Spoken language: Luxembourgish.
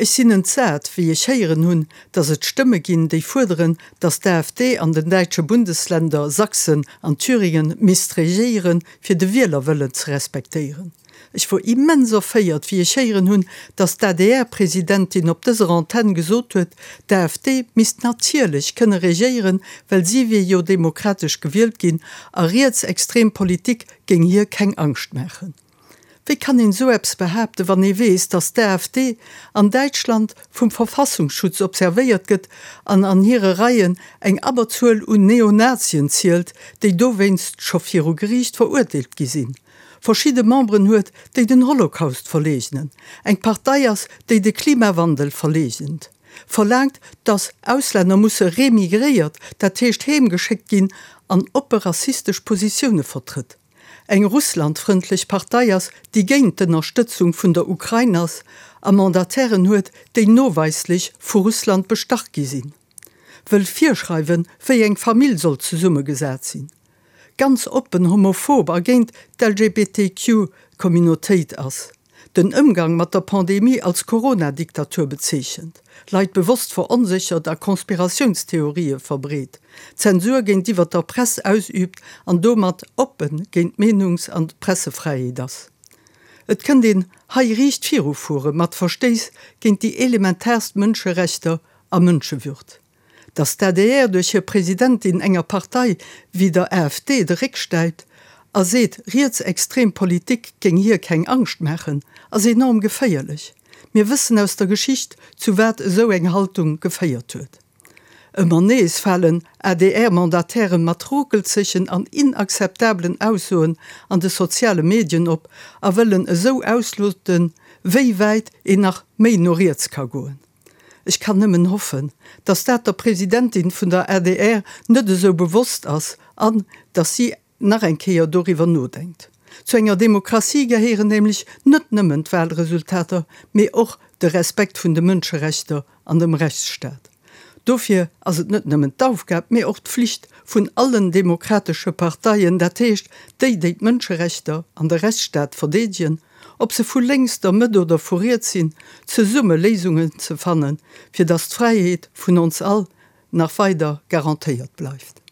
Ech sinn entsat, wéi ech héieren hunn, datt et Stëmme ginn, déi fuerderen, datt d'AfD an den däitsche Bundesländer Sachsen an Thüringen misst regéieren, fir de Wielerwëllen ze respektéieren. Ech wor immens erféiert, wéi ech héieren hunn, datt d'ADR-Presidentin op dëser Antenn gesot huet, d'AfD misst natierlech kënne regéieren, well si wier jo demokratesch gewielt ginn a rietsextrem Politik géing hir keng Angscht maachen. Wéi kann een esou eppes behaapten, wann ee weess, datt d'AfD an Däitschland vum Verfassungsschutz observéiert gëtt an an hire Reien eng Abberzuel un Neonazien zielt, déi dowéinst scho viru Geriicht verurteelt gi sinn, verschidde Memberen huet, déi den Holocaust verleegnen, eng Partei ass, déi de Klimawandel verleegent, verlaangt, datt Auslänner musse remigréiert, dat heescht heemgeschéckt ginn, an oppe rassistesch Positioune vertrëtt? eng russlandfrëndlech Partei ass, déi géint d'Ënnerstëtzung vun der Ukrain ass a Mandatairen huet, déi noweislech vu Russland bestach gi sinn, wëll virschreiwen, wéi eng Famill soll zesummegesat sinn, ganz oppen homophob a géint d'LGBTQ-Communautéit ass. den Ëmgang mat der Pandemie als Corona-Diktatur bezeechent, Leit bewosst veronséchert a Konspiratiounstheorië verbreet, Zensur géintiwwer der Press ausüübt an domat oppe géint d'Meenungs an d'Pressefräiheet ass. Et kënnt een hei riicht virufuere mat Verstéiss géint déi elementaarst Mënscherechter a Mënschewürd. Datt d'ADR duerch hir Presidentin enger Partei wéi der AfD de Réck stäipt a seet, rietsextrem Politik géing hir keng Angscht maachen, ass enorm geféierlech. Mir wëssen aus der Geschicht, zu wat esou eng Haltung geféiert huet. Ëmmer nees falen ADR-Mandatairen mat ruckelzegen an inakzeptabelen Aussoen an de soziale Medien op a wëllen esou ausloten, wéi wäit een nach méi no riets ka goen. Ech kann nëmmen hoffen, datt dat der Presidentin vun der adr net esou bewosst ass an datt si nach eng Kéier doriwwer nodenkt. Zu enger Demokratie gehéieren nämlech net nëmmen d'Wahlresultater, mee och de Respekt vun de Mënscherechter an dem Rechtsstaat. Dofir ass et net nëmmen d'Aufgab, mee och d'Flicht vun allen demokratesche Parteien, dat heescht déi, déi d'Mënscherechter an de Rechtsstaat verdeedegen, ob se vu lénks, der Mëtt oder vu riets sinn, zesumme Léisungen ze fannen, fir datt d'Fräiheet vun ons all nach weider garantéiert bleift.